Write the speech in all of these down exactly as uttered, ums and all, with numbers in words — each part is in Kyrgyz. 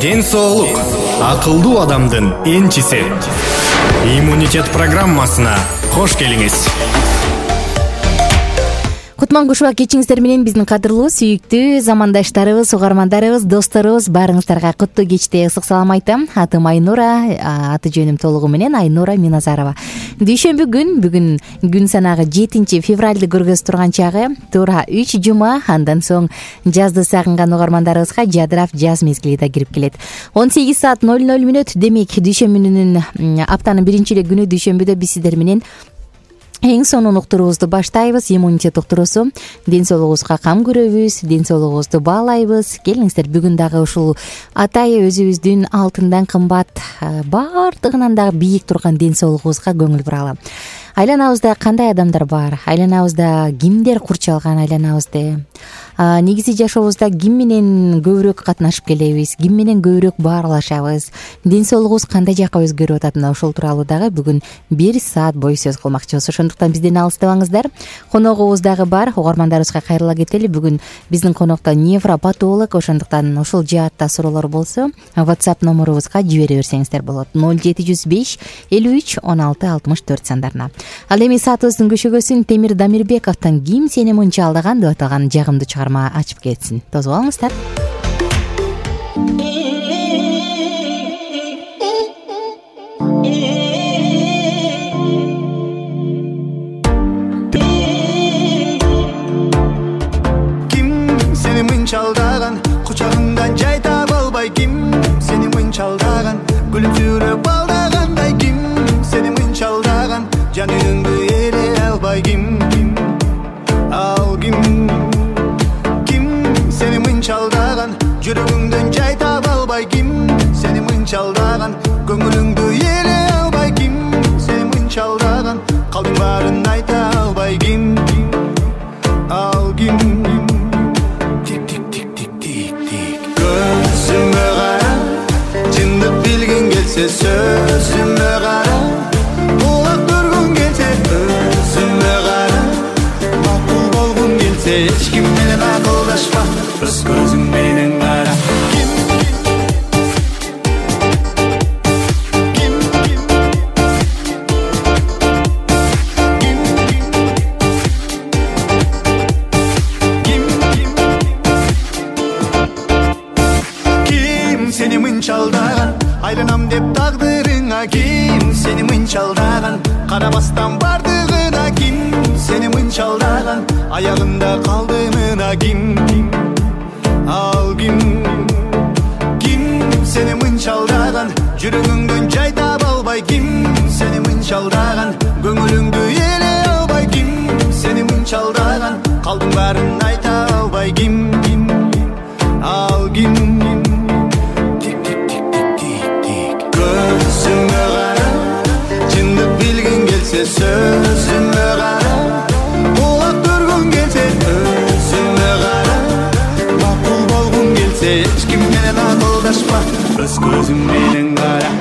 Ден соолук акылдуу адамдын энчиси. Иммунитет программасына кош келиңиз. Кутман Кушубак кечиңиздер менен биздин кадырлуу, сүйүктүү замандаштарыбыз, угармандарыбыз, досторубуз баарыңыздарга куттуу кечте ысык салам айтам. Атым Айнура, аты жөнүм толугу менен Айнура Миназарова. Дүйшөмбү күн, бүгүн күн санагы жетинчи февралды көргөзүп турган чагы, туура үч жума, андан соң жазды сагынган угармандарыбызга жадырап жаз мезгили да кирип келет. он сегиз саат ноль ноль мүнөт, демек дүйшөмбүнүн аптанын биринчи эле күнү дүйшөмбүдө биз сиздер менен эң сонун уктуруубузду баштайбыз. Иммунитет уктуруусу. Ден соолугубузга кам көрөбүз, ден соолугубузду баалайбыз. Келиңиздер, бүгүн дагы ушул атайы өзүбүздүн алтындан кымбат, баардыгынан дагы бийик турган ден соолугубузга көңүл буралы. Айланабызда кандай адамдар бар? Айланабызда кимдер курчалган айланабызды? Негизи жашообузда ким менен көбүрөөк катнашып келебиз? Ким менен көбүрөөк баарлашабыз? Ден соолугубуз кандай жакка өзгөрүп атат? Мына ошол тууралуу дагы бүгүн бир саат бою сөз кылмакчыбыз. Ошондуктан бизден алыстабаңыздар. Коногубуз дагы бар. Угармандарыбызга кайрыла кетели. Бүгүн биздин конокто невропатолог. Ошондуктан ушул жаатта суроолор болсо, WhatsApp номерубузга жибере берсеңиздер болот. ноль жети жүз беш элүү үч он алты алтымыш төрт сандарына. Ал эми саатыбыздын көшөгөсүн Темир Дамирбековдон «Ким сени мынча алдаган» деп аталган жагымдуу чыгарма ачып кетсин. Тосуп алыңыздар. Ким сени мынча алдаган, кучагыңдан жай таба албай, ким сени мынча алдаган, күлүмсүрөп алдагандай, ким сени мынча алдаган, жаныңды эле албай, ким ал ким сени мынча алдаган, жүрөгүңдөн жай таба албай, ким сени мынча алдаган, көңүлүңдү эле албай, ким сени мынча алдаган, калдың баарын айта албай, ким ал ким. Тик тик тик тик тик тик көзүмө кара, чындык билгиң келсе сөзүмө кара, улак көргүң келсе өзүмө кара, макул болгуң келсе эч ким менен акылдашпа, өз көзүң менен кара. Сени мынча алдаган, айланам деп тагдырыңа, ким сени мынча алдаган, карабастан бардыгына, ким сени мынча алдаган, аягында калдымына, ким ал ким ким сени мынча алдаган, жүрөгүңдөн жай таба албай, ким сени мынча алдаган, көңүлүңдү эле албай, ким сени мынча алдаган, калдың баарын айта албай, ким ал ким. Көзүмө кара, чындык билгиң келсе сөзүмө кара, улак көргүң келсе өзүмө кара, макул болгуң келсе эч ким менен акылдашпа, өз көзүң менен кара.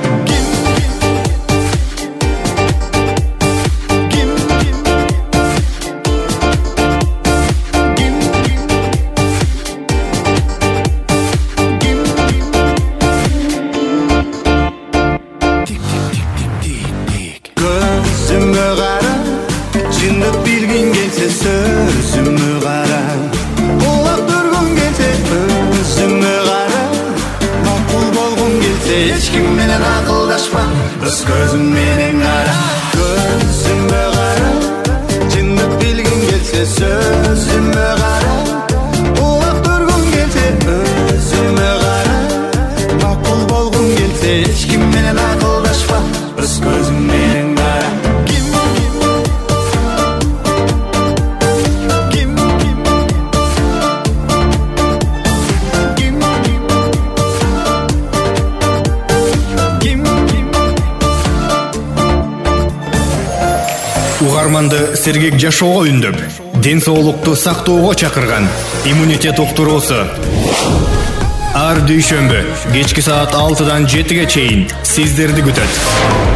Сөзүмө кара, улак көргүң келсе өзүмө кара, макул болгуң келсе эч ким менен акылдашпа, өз көзүң менен кара. Көзүмө кара, чындык билгиң келсе сөзүмө кара, улак көргүң келсе өзүмө кара, макул болгуң келсе эч ким менен акылдашпа, өз көзүң менен кара. Угарманды сергек жашоого үндөп, ден соолукту сактоого чакырган иммунитет уктуруусу. Ар дүйшөмбү кечки саат алтыдан жетиге чейин сиздерди күтөт.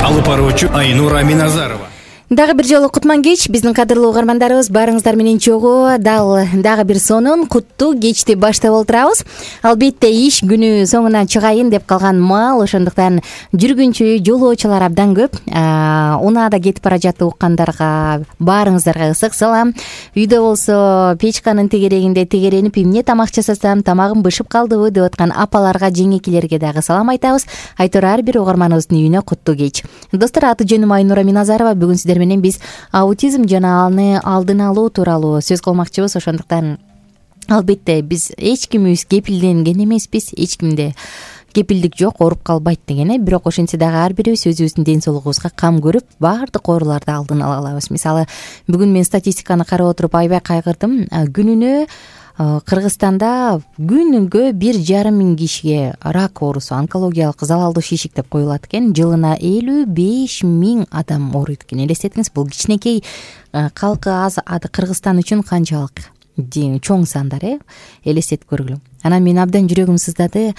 Алып баруучу Айнура Миназарова. Дагы бир жолу кутман кеч биздин кадырлуу угармандарыбыз, баарыңыздар менен чогуу дал дагы бир сонун куттуу кечти баштап олтурабыз. Албетте иш күнү соңуна чыгайын деп калган маал, ошондуктан жүргүнчү жолоочулар абдан көп. Унаада кетип бара жатып уккандарга баарыңыздарга ысык салам. Үйдө болсо печканын тегерегинде тегеренип эмне тамак жасасам, тамагым бышып калдыбы деп аткан апаларга, жеңекелерге дагы салам айтабыз. Айтор ар бир угарманыбыздын үйүнө куттуу кеч. Достор, аты жөнүм Айнура Миназарова. Бүгүн сиздер менен биз аутизм жана аны алдын алуу тууралуу сөз кылмакчыбыз. Ошондуктан албетте биз эч кимибиз кепилденген эмеспиз, эч кимде кепилдик жок, ооруп калбайт деген э бирок ошентсе дагы ар бирибиз өзүбүздүн ден соолугубузга кам көрүп, баардык ооруларды алдын ала алабыз. Мисалы, бүгүн мен статистиканы карап отуруп аябай кайгырдым. Күнүнө Кыргызстанда күнүгө бир жарым миң кишиге рак оорусу, онкологиялык залалдуу шишик деп коюлат экен. Жылына элүү беш миң адам ооруйт экен. Элестетиңиз, бул кичинекей калкы аз Кыргызстан үчүн канчалык чоң сандар, э элестетип көргүлө. Анан мен абдан жүрөгүм сыздады.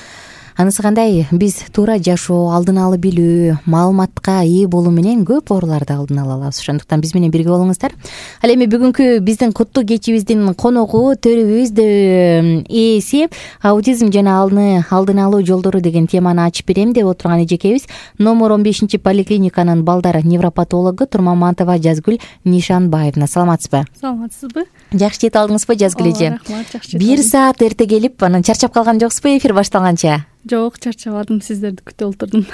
Анысы кандай? Биз туура жашоо, алдын алып билүү, маалыматка ээ болуу менен көп ооруларды алдын ала алабыз. Ошондуктан биз менен бирге болуңуздар. Ал эми бүгүнкү биздин куттуу кечибиздин коногу, төрүбүз ээси аутизм жана аны алдын алуу жолдору деген теманы ачып берем деп отурган эжекебиз номер он бешинчи поликлиниканын балдар невропатологу Турмаматова Жазгүл Нишанбаевна. Саламатсызбы? Саламатсызбы? Жакшы жете алдыңызбы, Жазгүл эже? Рахмат, жакшы. Бир саат эрте келип, анан чарчап калган жоксузбу эфир башталганча? Жок, чарчабадым, сиздерди күтүп олтурдум.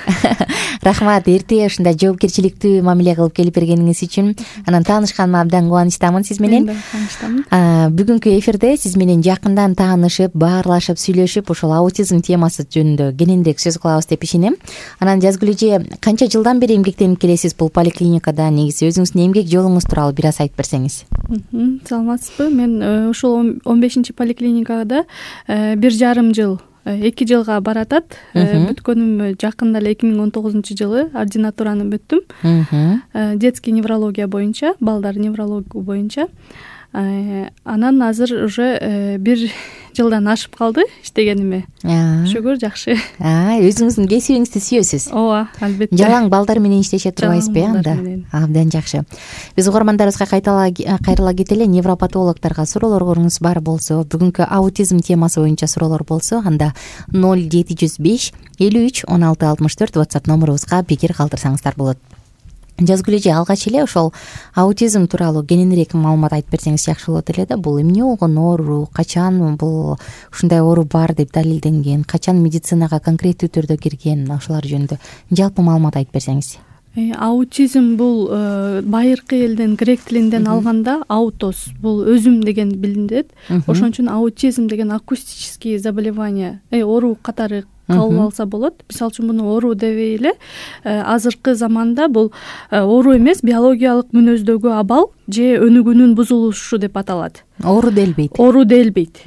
Рахмат, эрте ушундай жоопкерчиликтүү мамиле кылып келип бергениңиз үчүн. Анан таанышканыма абдан кубанычтамын сиз менен. Мен да кубанычтамын. Бүгүнкү эфирде сиз менен жакындан таанышып, баарлашып, сүйлөшүп, ошол аутизм темасы жөнүндө кененирээк сөз кылабыз деп ишенем. Анан Жазгүл эже, канча жылдан бери эмгектенип келесиз бул поликлиникада? Негизи өзүңүздүн эмгек жолуңуз тууралуу бир аз айтып берсеңиз. Саламатсызбы? Мен ушул он бешинчи поликлиникада бир жарым жыл, эки жылга баратат. Бүткөнүм жакында эле эки миң он тогузунчу жылы ординатураны бүттүм. Детский неврология боюнча, балдар неврология боюнча. Анан азыр уже бир жылдан ашып калды иштегениме. Шүгүр, жакшы. Өзүңүздүн кесибиңизди сүйөсүз? Ооба, албетте. Жалаң балдар менен иштеше турбайсызбы анда? Абдан жакшы. Биз угармандарыбызга кайрыла кетели. Невропатологдорго суроолоруңуз бар болсо, бүгүнкү аутизм темасы боюнча суроолор болсо, анда ноль жети жүз беш элүү үч он алты алтымыш төрт WhatsApp номерубузга пикир калтырсаңыздар болот. Жазгүл эже, алгач эле ошол аутизм тууралуу кененирээк маалымат айтып берсеңиз жакшы болот эле да. Бул эмне болгон оору, качан бул ушундай оору бар деп далилденген, качан медицинага конкреттүү түрдө кирген, ошолор жөнүндө жалпы маалымат айтып берсеңиз. Аутизм бул байыркы элден, грек тилинден алганда аутос, бул өзүм деген билинет. Ошон үчүн аутизм деген акустические заболевания, оору катары кабыл алса болот. Мисалы үчүн муну оору дебей эле, азыркы заманда бул оору эмес, биологиялык мүнөздөгү абал же өнүгүүнүн бузулушу деп аталат. Оору делбейт. Оору делбейт.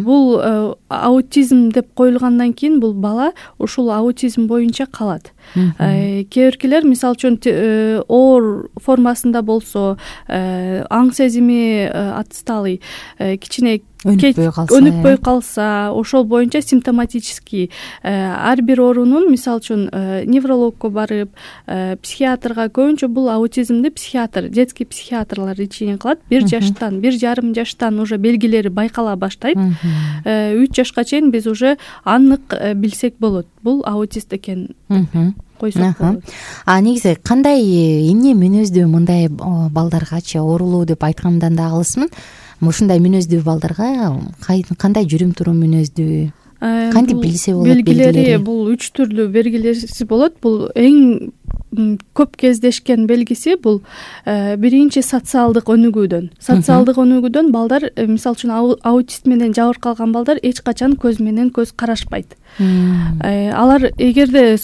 Бул аутизм деп коюлгандан кийин бул бала ушул аутизм боюнча калат. Кээ биркилер мисалы үчүн оор формасында болсо, аң сезими отсталый, кичине өнүкпөй калса, ошол боюнча симптоматический ар бир оорунун, мисалы үчүн неврологко барып, психиатрга, көбүнчө бул аутизмди психиатр, детский психиатрлар ичинен кылат. Бир жаштан, бир жарым жаштан уже белгилери байкала баштайт. Үч жашка чейин биз уже анык билсек болот, бул аутист экенин койсок болот. А негизи кандай эмне мүнөздүү мындай балдаргачы оорулуу деп айткандан да алысмын. Ушундай мүнөздүү балдарга кандай жүрүм турум мүнөздүү, кантип билсе болот? Белгилери бул үч түрлүү белгилеси болот. Бул эң көп кездешкен белгиси бул биринчи социалдык өнүгүүдөн. Социалдык өнүгүүдөн балдар, мисалы үчүн аутист менен жабыркалган балдар эч качан көз менен көз карашпайт. Алар эгерде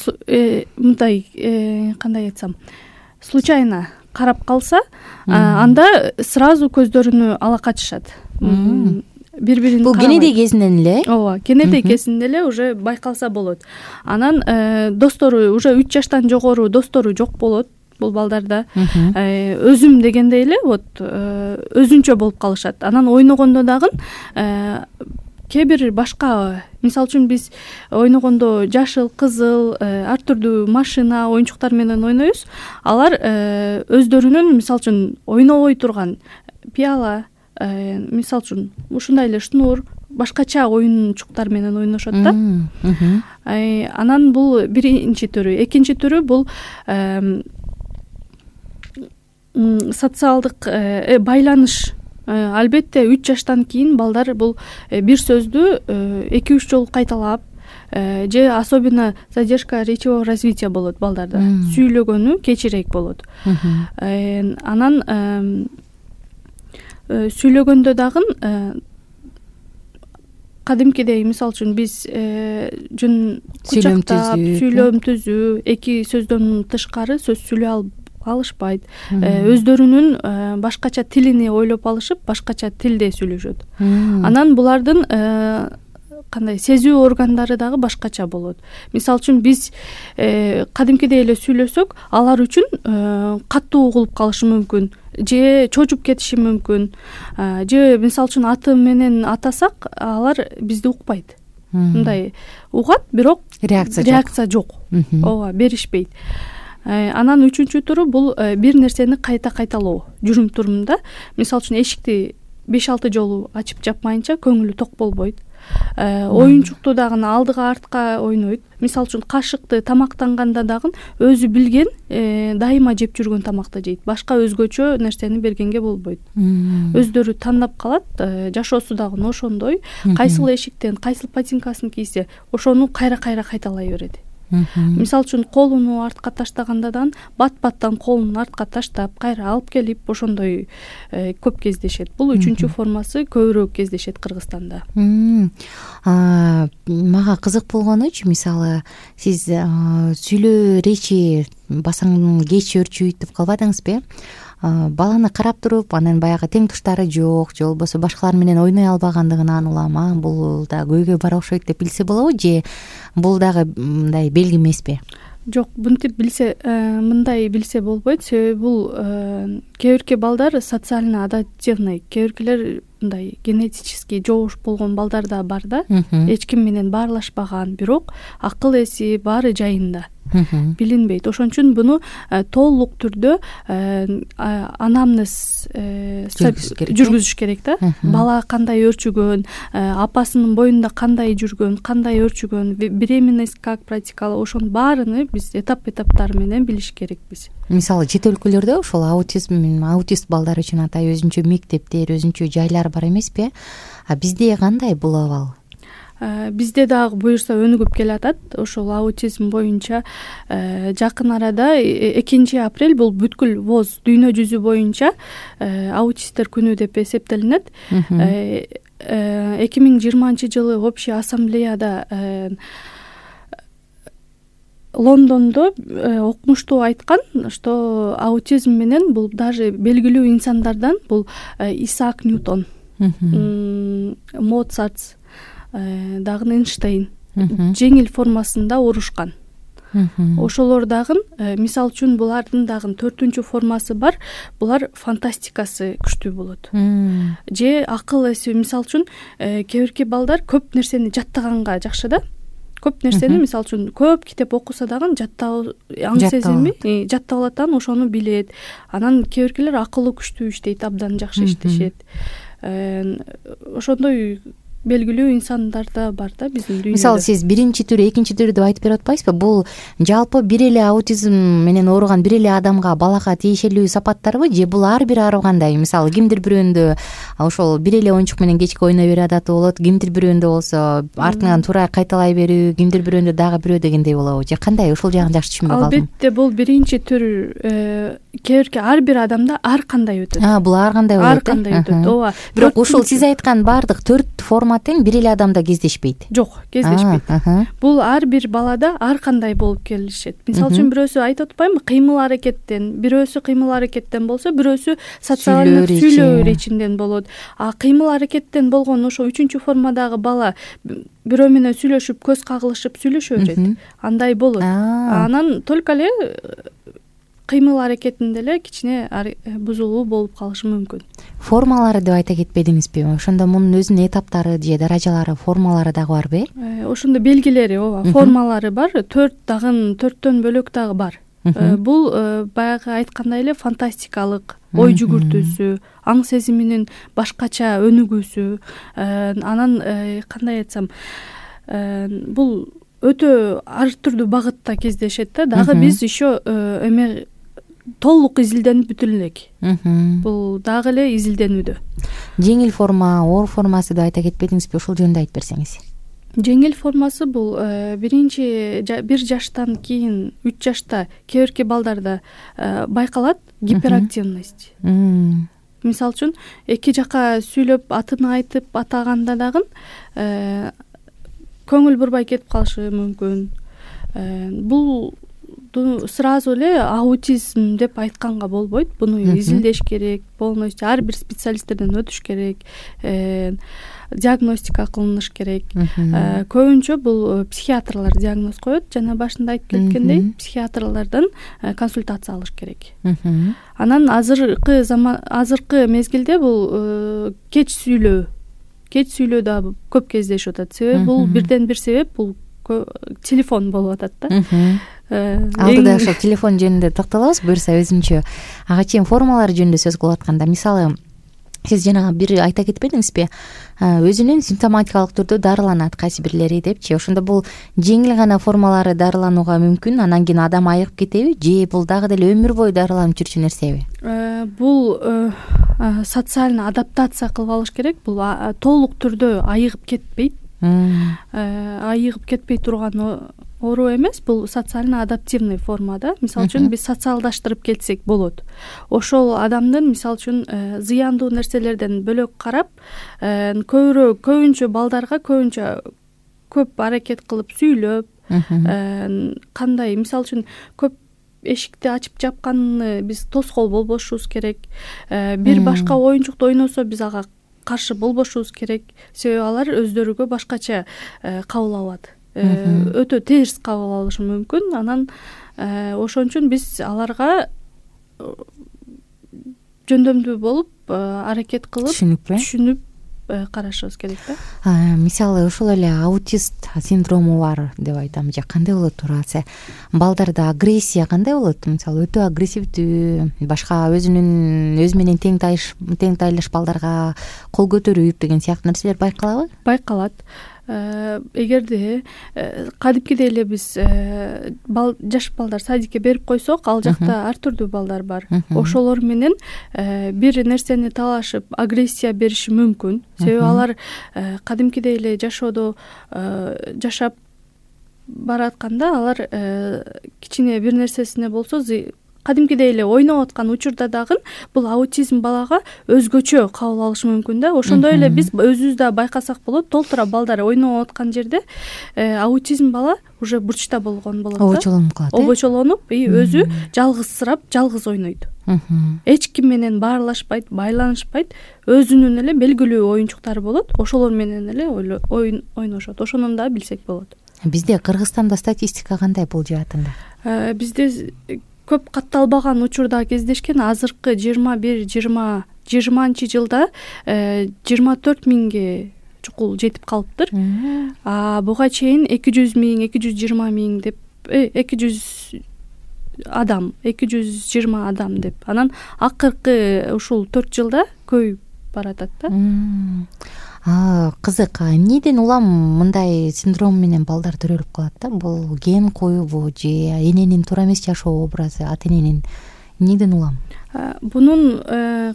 мындай, кандай айтсам, случайно карап калса, анда сразу көздөрүнү ала качышат. Бири-бирин бул кенедей кезинен эле? Ооба, кенедей кезинде эле уже байкалса болот. Анан достору, уже үч жаштан жогору достору жок болот бул балдарда. Өзүм дегендей эле вот өзүнчө болуп калышат. Анан ойногондо дагы кээ бир башка, мисалы үчүн биз ойногондо жашыл, кызыл ар түрдүү машина, оюнчуктар менен ойнойбуз. Алар өздөрүнүн мисалы үчүн ойнобой турган пиала, мисалы үчүн ушундай эле шнур, башкача оюнчуктар менен ойношот да. Анан бул биринчи түрү. Экинчи түрү бул социалдык байланыш. Албетте үч жаштан кийин балдар бул бир сөздү эки үч жолу кайталап, же особенно задержка речевого развития болот балдарда. Сүйлөгөнү кечирээк болот. Анан сүйлөгөндө дагы кадимкидей, мисалы үчүн биз жөн кучактап сүйлөм түзүү, эки сөздөн тышкары сөз сүйлөй алышпайт. Өздөрүнүн башкача тилини ойлоп алышып, башкача тилде сүйлөшөт. Анан булардын кандай сезүү органдары дагы башкача болот. Мисалы үчүн биз кадимкидей эле сүйлөсөк, алар үчүн катуу угулуп калышы мүмкүн, же чочуп кетиши мүмкүн, же мисалы үчүн аты менен атасак, алар бизди укпайт. Мындай угат, бирок реакция жок. Ооба, беришпейт. Анан үчүнчү түрү бул бир нерсени кайта кайталоо. Жүрүм турумда, мисалы үчүн эшикти беш алты жолу ачып жапмайынча көңүлү ток болбойт. Оюнчукту дагы алдыга артка ойнойт. Мисалы үчүн кашыкты тамактанганда дагы өзү билген, дайыма жеп жүргөн тамакты жейт. Башка өзгөчө нерсени бергенге болбойт. Өздөрү тандап калат. Жашоосу дагы ошондой. Кайсыл эшиктен, кайсыл ботинкасын кийсе, ошону кайра-кайра кайталай берет. Мисалы үчүн колуну артка таштагандадан бат-баттан колун артка таштап, кайра алып келип, ошондой көп кездешет. Бул үчүнчү формасы көбүрөөк кездешет Кыргызстанда. Мага кызык болгонучу, мисалы, сиз сүйлөө речи басаң кеч өрчүйт деп калбадыңызбы? Баланы карап туруп, анан баягы тең туштары жок, же болбосо башкалар менен ойной албагандыгынан улам, бул да көйгөй бар окшойт деп билсе болобу, же бул дагы мындай белги эмеспи? Жок, мынтип билсе, мындай билсе болбойт. Себеби бул кээ бирки балдар социально адаптивный, кээ биркилер мындай генетически жоош болгон балдар да бар да, эч ким менен баарлашпаган, бирок акыл эси баары жайында. Билинбейт. Ошон үчүн буну толук түрдө анамнез жүргүзүш керек да. Бала кандай өрчүгөн, апасынын боюнда кандай жүргөн, кандай өрчүгөн, беременность как протекала, ошонун баарыны биз этап-этаптары менен билиш керекпиз. Мисалы, чет өлкөлөрдө ошол аутизм, аутист балдар үчүн атай өзүнчө мектептер, өзүнчө жайлар бар эмеспи? А бизде кандай бул абал? Бизде дагы буюрса өнүгүп келатат. Ошол аутизм боюнча жакын арада экинчи апрель бул бүткүл воз дүйнө жүзү боюнча аутисттер күнү деп эсептелинет. эки миң жыйырманчы жылы общий ассамблеяда Лондондо окумуштуу айткан, что аутизм менен бул даже белгилүү инсандардан бул Исаак Ньютон, Моцарт, дагы Эйнштейн жеңил формасында урушкан. Ошолор дагы, мисалы үчүн, булардын дагы төртүнчү формасы бар. Булар фантастикасы күчтүү болот. Же акыл эси, мисалы үчүн, кээ бирки балдар көп нерсени жаттаганга жакшы да. Көп нерсени, мисалы үчүн, көп китеп окуса дагы жаттоо аң сезими жаттап алат, анан ошону билет. Анан кээ биркилер акылы күчтүү иштейт, абдан жакшы иштешет. Ошондой белгилүү инсандар да бар да биздин дүйнөдө. Мисалы, сиз биринчи түрү, экинчи түрү деп айтып берип атпайсызбы? Бул жалпы бир эле аутизм менен ооруган бир эле адамга, балага тиешелүү сапаттарбы, же бул ар бир ар кандай? Мисалы, кимдир бирөөндө ошол бир эле оюнчук менен кечке ойной берүү адаты болот, кимдир бирөөндө болсо артынан туура кайталай берүү, кимдир бирөөндө дагы бирөө дегендей болобу? Же кандай? Ошол жагын жакшы түшүнбөй калдым. Албетте, бул биринчи түр, кээ бирки ар бир адамда ар кандай өтөт. А, бул ар кандай болот. Ар кандай өтөт, ооба. Бирок ушул сиз айткан баардык төрт форма тең бир эле адамда кездешпейт. Жок, кездешпейт. Бул ар бир балада ар кандай болуп келишет. Мисалы үчүн, бирөөсү айтып атпаймынбы, кыймыл аракеттен, бирөөсү кыймыл аракеттен болсо, бирөөсү социалдык сүйлөө речинден болот. А кыймыл аракеттен болгон ошо үчүнчү формадагы бала бирөө менен сүйлөшүп, көз кагылышып сүйлөшө берет. Андай болот. Анан только эле кыймыл аракетинде эле кичине бузулуу болуп калышы мүмкүн. Формалары деп айта кетпедиңизби? Ошондо мунун өзүнүн этаптары же даражалары, формалары дагы барбы? Ошондо белгилери, ооба, формалары бар. Төрт дагы төрттөн бөлөк дагы бар. Бул баягы айткандай эле фантастикалык ой жүгүртүүсү, аң сезиминин башкача өнүгүүсү, анан кандай айтсам, бул өтө ар түрдүү багытта кездешет да. Дагы биз еще эме толук изилденип бүтүн элек. Бул дагы эле изилденүүдө. Жеңил форма, оор формасы деп айта кетпедиңизби? Ушул жөнүндө айтып берсеңиз. Жеңил формасы бул биринчи бир жаштан кийин үч жашта кээ бирки балдарда байкалат гиперактивность. Мисалы үчүн эки жака сүйлөп атын айтып атаганда дагы көңүл бурбай кетип калышы мүмкүн. Бул сразу эле аутизм деп айтканга болбойт. Буну изилдеш керек, полностью ар бир специалисттерден өтүш керек, диагностика кылыныш керек. Көбүнчө бул психиатрлар диагноз коет. Жана башында айтып кеткендей, психиатрлардан консультация алыш керек. Анан азыркы заман, азыркы мезгилде бул кеч сүйлөө, кеч сүйлөө да көп кездешип атат. Себеби бул бирден бир себеп бул телефон болуп атат да. Алдыда ошо телефон жөнүндө токтолобуз буюрса өзүнчө. Ага чейин формалар жөнүндө сөз кылып атканда, мисалы сиз жана бир айта кетпедиңизби? Өзүнүн симптоматикалык түрдө дарыланат кайсы бирлери депчи. Ошондо бул жеңил гана формалары дарыланууга мүмкүн, анан кийин адам айыгып кетеби же бул дагы деле өмүр бою дарыланып жүрчү нерсеби? Бул социально адаптация кылып алыш керек. Бул толук түрдө айыгып кетпейт. Айыгып кетпей турган оору эмес, бул социально адаптивный формада. Мисалы үчүн биз социалдаштырып кетсек болот. Ошол адамдын мисалы үчүн зыяндуу нерселерден бөлөк карап, көбүрөөк көбүнчө балдарга көбүнчө көп аракет кылып сүйлөп, кандай мисалы үчүн көп эшикти ачып жапканны биз тоскоол болбошубуз керек. Бир башка оюнчукту ойносо биз ага каршы болбошубуз керек. Себеби алар өздөрүгө башкача кабыл алат. Өтө терс кабыл алышы мүмкүн. Анан ошон үчүн биз аларга жөндөмдүү болуп аракет кылып түшүнүп карашыбыз керек да. Мисалы ошол эле аутист синдрому бар деп айтам же кандай болот турасы? Балдарда агрессия кандай болот? Мисалы өтө агрессивдүү, башка өзүнүн өзү менен тең тайыш тең тайлаш балдарга кол көтөрүп деген сыяктуу нерселер байкалабы? Байкалат. Эгерде кадимкидей эле биз жаш балдар садикке берип койсок, ал жакта ар түрдүү балдар бар. Ошолор менен бир нерсени талашып агрессия бериши мүмкүн. Себеби алар кадимкидей эле жашоодо жашап баратканда алар кичине бир нерсесине болсо кадимкидей эле ойноп аткан учурда дагы бул аутизм балага өзгөчө кабыл алышы мүмкүн да. Ошондой эле биз өзүбүз да байкасак болот. Толтура балдар ойноп аткан жерде аутизм бала уже бурчта болгон болот да. Обочолонуп калат. Обочолонуп и өзү жалгызсырап, жалгыз ойнойт. Эч ким менен баарлашпайт, байланышпайт. Өзүнүн эле белгилүү оюнчуктары болот. Ошолор менен эле оюн ойношот. Ошону да билсек болот. Бизде Кыргызстанда статистика кандай бул жаатында? Бизде көп катталбаган учурда кездешкен. Азыркы жыйырма бир жыйырма жыйырманчы жылда жыйырма төрт миңге чукул жетип калыптыр. А буга чейин эки жүз миң, эки жүз жыйырма миң деп эки жүз адам, эки жүз жыйырма адам деп. Анан акыркы ушул төрт жылда көбөйүп баратат да. Кызык. Эмнеден улам мындай синдром менен балдар төрөлүп калат да? Бул ген коюбу же эненин туура эмес жашоо образы, ата эненин эмнеден улам? Бунун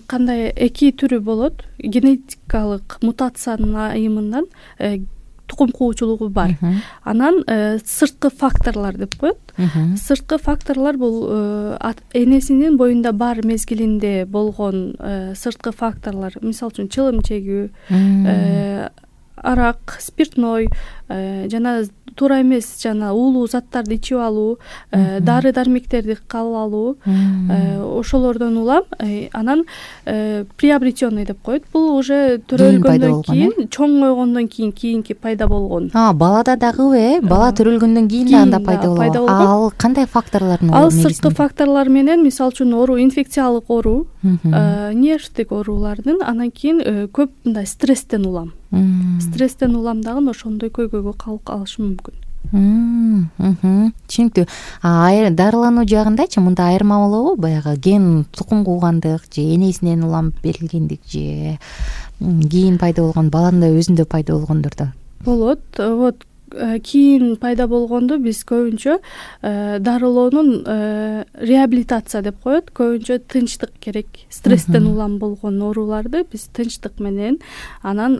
кандай эки түрү болот. Генетикалык мутациянын айымынан тукум куучулугу бар. Анан сырткы факторлор деп коет. Сырткы факторлор бул энесинин боюнда бар мезгилинде болгон сырткы факторлор. Мисалы үчүн чылым чегүү, арак, спиртной, жана туура эмес жана уулуу заттарды ичип алуу, дары дармектерди кабыл алуу, ошолордон улам анан приобретенный деп коет. Бул уже төрөлгөндөн кийин, чоңойгондон кийин кийинки пайда болгон. Балада дагыбы э бала төрөлгөндөн кийин да анда пайда болот. Ал кандай факторлордун? Ал сырткы факторлор менен, мисалы үчүн оору, инфекциялык оору, нервдик оорулардын, анан кийин көп мындай стресстен улам. Стресстен улам дагы ошондой көйгөйгө калып калышы мүмкүн. Түшүнүктүү. Дарылануу жагындачы мында айырма болобу? Баягы ген тукум куугандык же энесинен улам берилгендик же кийин пайда болгон, баланын да өзүндө пайда болгондордо болот. Вот кийин пайда болгонду биз көбүнчө дарылоонун реабилитация деп коет. Көбүнчө тынчтык керек. Стресстен улам болгон ооруларды биз тынчтык менен, анан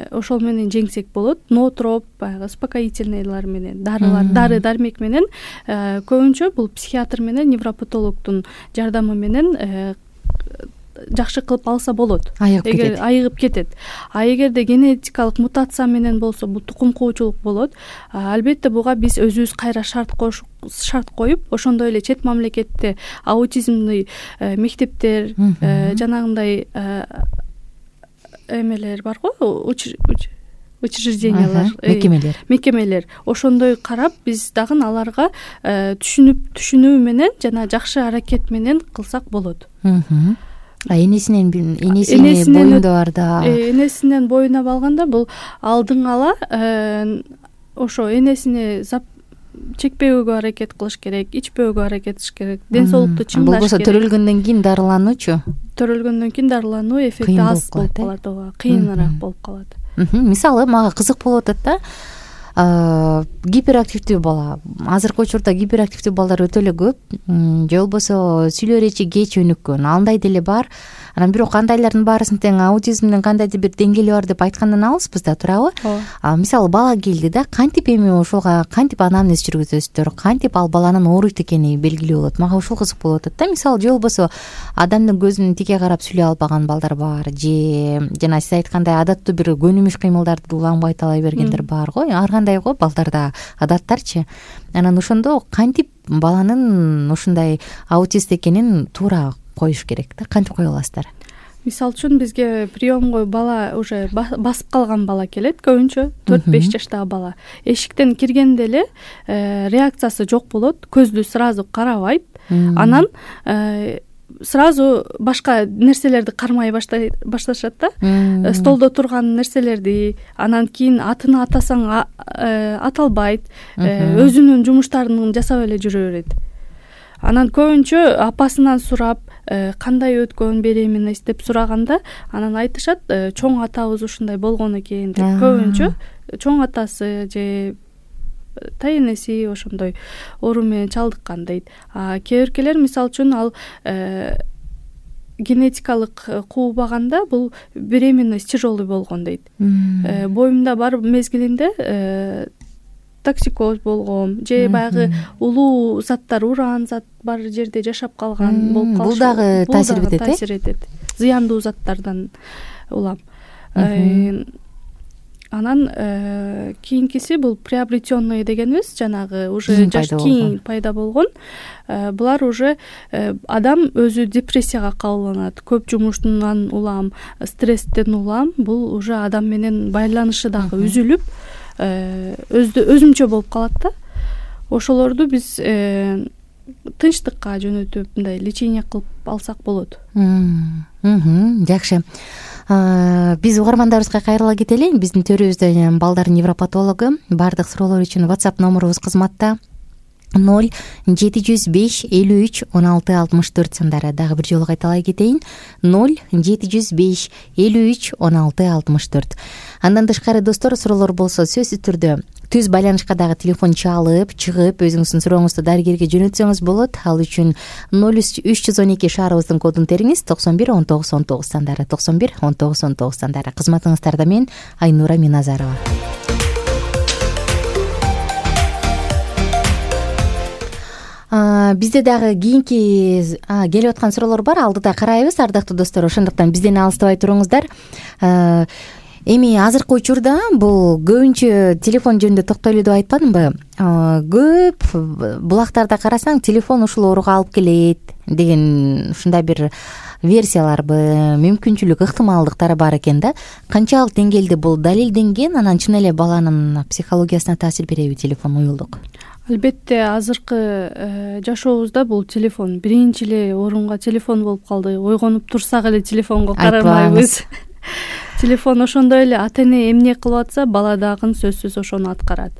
ошол менен жеңсек болот. Ноотроп, баягы успокоительныйлар менен, дарылар, дары дармек менен, көбүнчө бул психиатр менен невропатологдун жардамы менен жакшы кылып алса болот. Эгер айыгып кетет. А эгерде генетикалык мутация менен болсо, бул тукум куучулук болот. Албетте буга биз өзүбүз кайра шарт коюш шарт коюп, ошондой эле чет мамлекетте аутизмный мектептер, жанагындай эмелер бар го, учреждениялар, мекемелер. Мекемелер. Ошондой карап, биз дагы аларга түшүнүп, түшүнүү менен жана жакшы аракет менен кылсак болот. А энесинен энесинин боюнда барда энесинен боюна алганда бул алдын ала ошо энесине чекпөөгө аракет кылыш керек, ичпөөгө аракет кылыш керек, ден соолукту чыңдаш керек. Болбосо төрөлгөндөн кийин дарылануучу? Төрөлгөндөн кийин дарылануу эффекти аз болуп калат, ооба, кыйыныраак болуп калат. Мисалы мага кызык болуп атат да. Гиперактивдүү бала, азыркы учурда гиперактивдүү балдар өтө эле көп, же болбосо сүйлөө речи кеч өнүккөн, андай деле бар. Анан бирок андайлардын баарысын тең аутизмдин кандайдыр бир деңгээли бар деп айткандан алыспыз да, туурабы? Мисалы бала келди да, кантип эми ошолга кантип анамнез жүргүзөсүздөр, кантип ал баланын ооруйт экени белгилүү болот. Мага ушул кызык болуп атат да. Мисалы же болбосо адамдын көзүнө тике карап сүйлөй албаган балдар бар, же жана сиз айткандай адаттуу бир көнүмүш кыймылдарды уланбай талай бергендер бар го. Ар кандай го балдарда адаттарчы. Анан ошондо кантип баланын ушундай аутист экенин туура коюш керек да, кантип кое аласыздар? Мисалы үчүн бизге приемго бала уже басып калган бала келет, көбүнчө төрт беш жаштагы бала. Эшиктен киргенде эле реакциясы жок болот, көздү сразу карабайт. Анан сразу башка нерселерди кармай башташат да. Столдо турган нерселерди, анан кийин атын атасаң аталбайт, өзүнүн жумуштарын жасап эле жүрө берет. Анан көбүнчө апасынан сурап, кандай өткөн беремиз деп сураганда, анан айтышат, чоң атабыз ушундай болгон экен деп. Көбүнчө чоң атасы же тайенеси ошондой оору менен чалдыккан дейт. А кээ-биркелер мисалы үчүн ал генетикалык куубаганда бул беременность тяжелый болгон дейт. Боюмда бар мезгилинде токсикоз болгон же баягы улуу заттар, уран зат бар жерде жашап калган болуп калышы. Бул дагы таасир этет, э? Таасир этет. Зыяндуу заттардан улам. Анан кийинкиси бул приобретенный дегенибиз, жанагы уже жаш кийин пайда болгон. Булар уже адам өзү депрессияга кабылганат, көп жумуштан улам, стресстен улам, бул уже адам менен байланышы дагы үзүлүп, өзүмчө болуп калат да. Ошолорду биз тынчтыкка жөнөтүп, мындай лечение кылып алсак болот. Жакшы. Биз угармандарыбызга кайрыла кетели. Биздин төрүбүздө балдар невропатологу. Бардык суроолор үчүн WhatsApp номерубуз кызматта ноль жети жүз беш элүү үч он алты алтымыш төрт сандары. Дагы бир жолу кайталай кетейин. ноль жети жүз беш элүү үч он алты алтымыш төрт. Андан тышкары достор, суроолор болсо сөзсүз түрдө түз байланышка дагы телефон чалып, чыгып, өзүңүздүн сурооңузду дарыгерге жөнөтсөңүз болот. Ал үчүн ноль үч жүз он эки шаарыбыздын кодун териңиз, токсон бир он тогуз он тогуз сандары, токсон бир он тогуз он тогуз сандары. Кызматыңыздарда мен Айнура Миназарова. Бизде дагы кийинки келип аткан суроолор бар, алдыда карайбыз, ардактуу достор. Ошондуктан бизден алыстабай туруңуздар. эми азыркы учурда бул көбүнчө телефон жөнүндө токтойлу деп айтпадымбы, көп булактарда карасаң телефон ушул ооруга алып келет деген ушундай бир версияларбы, мүмкүнчүлүк, ыктымалдыктары бар экен да. Канчалык деңгээлде бул далилденген, анан чын эле баланын психологиясына таасир береби телефон, уюлдук? Албетте азыркы жашообузда бул телефон биринчи эле орунга телефон болуп калды. Ойгонуп турсак эле телефонго карабайбыз. Телефон ошондой эле ата эне эмне кылып атса, бала дагы сөзсүз ошону аткарат.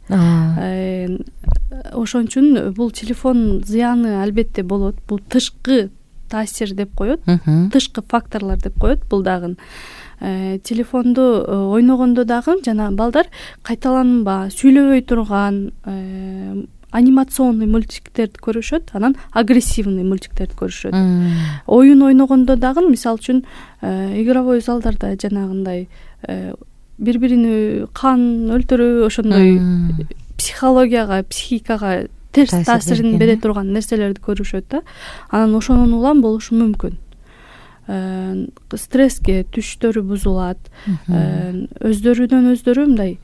Ошон үчүн бул телефон зыяны албетте болот. Бул тышкы таасир деп коет, тышкы факторлор деп коет. Бул дагы телефонду ойногондо дагы жана балдар кайталанба, сүйлөбөй турган анимационный мультиктерди көрүшөт, анан агрессивный мультиктерди көрүшөт. Оюн ойногондо дагы, мисалы үчүн, игровой залдарда жанагындай бири-бирини кан өлтүрүү, ошондой психологияга, психикага терс таасирин бере турган нерселерди көрүшөт да. Анан ошонун улам болушу мүмкүн. Стресске түштөрү бузулат, өздөрүнөн өздөрү мындай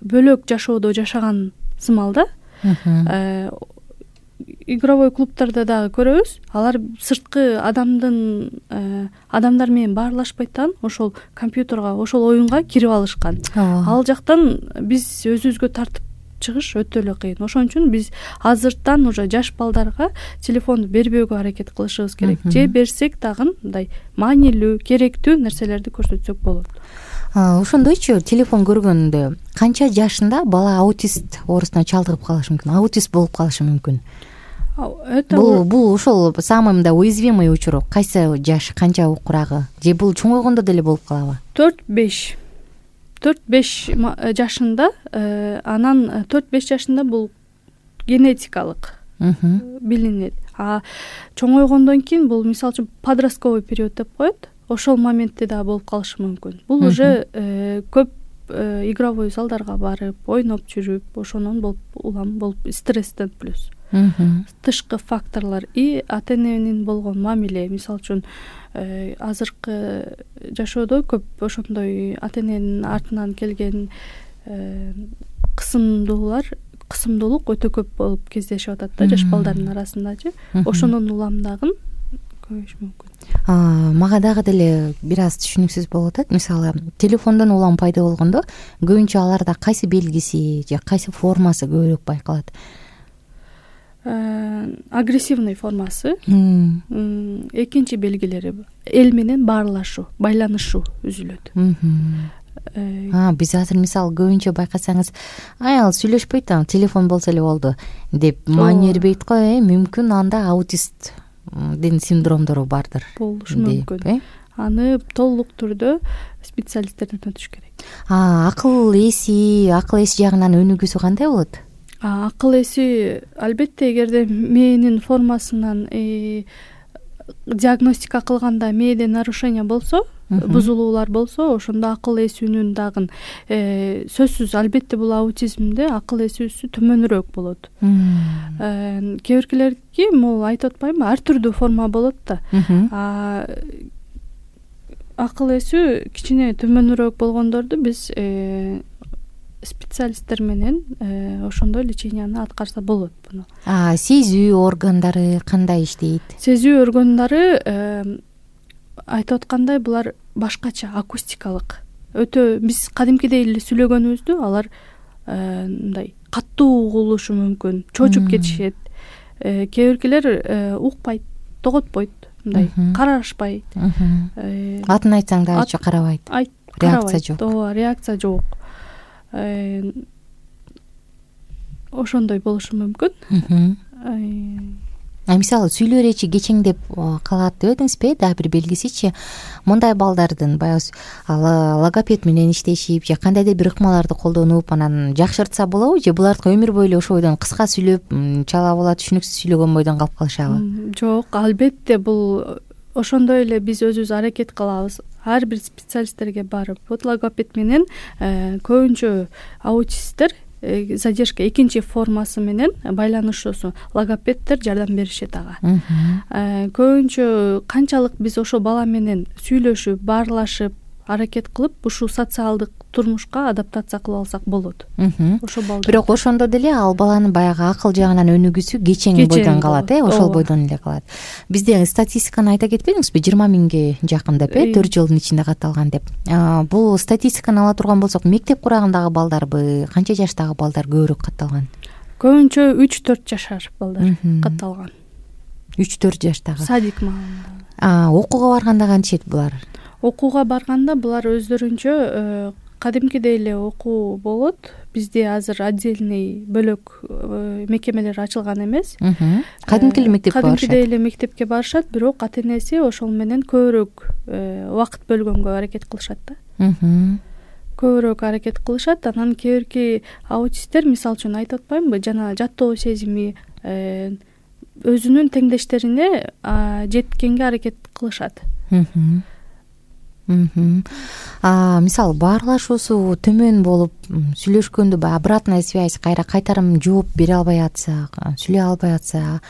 бөлөк жашоодо жашаган сымал да. Игровой клубтарда дагы көрөбүз, алар сырткы адамдын адамдар менен баарлашпайт да, ошол компьютерга, ошол оюнга кирип алышкан. Ал жактан биз өзүбүзгө тартып чыгыш өтө эле кыйын. Ошон үчүн биз азыртан уже жаш балдарга телефонду бербөөгө аракет кылышыбыз керек. Же берсек дагы мындай маанилүү, керектүү нерселерди көрсөтсөк болот. Ошондойчу телефон көргөндө канча жашында бала аутист оорусуна чалдыгып калышы мүмкүн, аутист болуп калышы мүмкүн? Бул бул ошол самый мындай уязвимый учур кайсы жаш, канча укурагы? Же бул чоңойгондо деле болуп калабы? төрт беш төрт беш жашында, анан төрт беш жашында бул генетикалык билинет. А чоңойгондон кийин бул мисалы үчүн подростковый период деп коет. Ошол моментте да болуп калышы мүмкүн. Бул уже көп игровой залдарга барып, ойноп жүрүп, ошонун болуп улам болуп стресстен плюс. Тышкы факторлор и ата эненин болгон мамиле, мисалы үчүн азыркы жашоодо көп ошондой ата эненин артынан келген кысымдуулар, кысымдуулук өтө көп болуп кездешип атат да жаш балдардын арасындачы. Ошонун улам дагы көбөйүшү мүмкүн. Мага дагы деле бир аз түшүнүксүз болуп атат. Мисалы, телефондон улам пайда болгондо көбүнчө аларда кайсы белгиси же кайсы формасы көбүрөөк байкалат? Агрессивный формасы, экинчи белгилери эл менен баарлашуу, байланышуу үзүлөт. Биз азыр мисалы көбүнчө байкасаңыз, аял сүйлөшпөйт да, телефон болсо эле болду деп маани бербейт го. Мүмкүн анда аутисттин синдромдору бардыр. Болушу мүмкүн. Аны толук түрдө специалисттерден өтүш керек. Акыл эси, акыл эси жагынан өнүгүүсү кандай болот? Акыл эси албетте эгерде мээнин формасынан диагностика кылганда мээде нарушение болсо, бузулуулар болсо, ошондо акыл эсүүнүн дагы сөзсүз албетте бул аутизмде акыл эсүүсү төмөнүрөөк болот. Кээ биркилердики могу айтып атпаймынбы, ар түрдүү форма болот да. Акыл эсүү кичине төмөнүрөөк болгондорду биз специалисттер менен ошондой леченияны аткарса болот буну. Сезүү органдары кандай иштейт? Сезүү органдары айтып аткандай булар башкача, акустикалык. Өтө биз кадимкидей эле сүйлөгөнүбүздү алар мындай каттуу угулушу мүмкүн, чочуп кетишет. Кээ биркилер укпайт, тоготпойт, мындай карашпайт. Атын айтсаң дагы карабайт. Реакция жок. Ооба, реакция жок. Ошондой болушу мүмкүн. Мисалы сүйлөөр эчи кечеңдеп калат деп эдиңизби? Дагы бир белгисичи, мындай балдардын баягы логопед менен иштешип же кандайдыр бир ыкмаларды колдонуп анан жакшыртса болобу, же булардыкы өмүр бою эле ошо бойдон кыска сүйлөп, чала була түшүнүксүз сүйлөгөн бойдон калып калышабы? Жок, албетте бул ошондой эле биз өзүбүз аракет кылабыз. Ар бир специалисттерге барып, вот логопед менен көбүнчө аутисттер задержка экинчи формасы менен байланышуусу логопеддер жардам беришет ага. Көбүнчө канчалык биз ошо бала менен сүйлөшүп, баарлашып, аракет кылып ушул социалдык турмушка адаптация кылып алсак болот. Ошол балдар. Бирок ошондо деле ал баланын баягы акыл жагынан өнүгүүсү кечең бойдон калат, э, ошол бойдон эле калат. Бизде статистиканы айта кетпедиңизби? жыйырма миңге жакын деп, э, төрт жылдын ичинде катталган деп. Бул статистиканы ала турган болсок, мектеп курагындагы балдарбы, канча жаштагы балдар көбүрөөк катталган? Көбүнчө үч төрт жашар балдар катталган. үч төрт жаштагы. Садик маалында. Окууга барганда кантчет булар? Окууга барганда булар өздөрүнчө кадимкидей эле окуу болот. Бизде азыр отдельный бөлөк мекемелер ачылган эмес. Кадимки эле мектепке барышат. Кадимкидей эле мектепке барышат, бирок ата-энеси ошол менен көбүрөөк убакыт бөлгөнгө аракет кылышат да. Көбүрөөк аракет кылышат. Анан кээ бирки аутисттер, мисалы үчүн айтып атпаймынбы, жана жаттоо сезими өзүнүн теңдештерине жеткенге аракет кылышат. Мисалы баарлашуусу төмөн болуп сүйлөшкөндө баягы обратная связь, кайра кайтарым жооп бере албай атса, сүйлөй албай атса,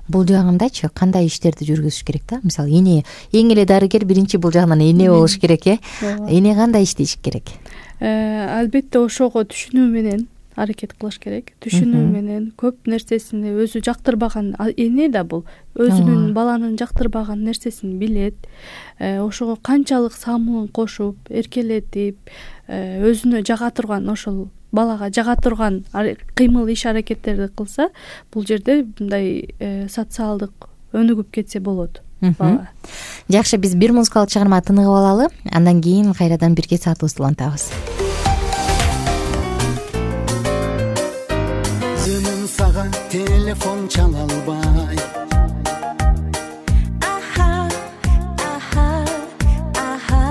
бул жагындачы кандай иштерди жүргүзүш керек да? Мисалы эне, эң эле дарыгер биринчи бул жагынан эне болуш керек, э? Эне кандай иштеш керек? Албетте ошого түшүнүү менен аракет кылыш керек. Түшүнүү менен көп нерсесин өзү жактырбаган эне да бул өзүнүн баланын жактырбаган нерсесин билет. Ошого канчалык самылын кошуп, эркелетип, өзүнө жага турган, ошол балага жага турган кыймыл иш аракеттерди кылса, бул жерде мындай социалдык өнүгүп кетсе болот. Жакшы, биз бир музыкалык чыгарма тыныгып алалы, андан кийин кайрадан бирге саатыбызды улантабыз. Өзүнүн сага телефон чала албай, аха аха аха,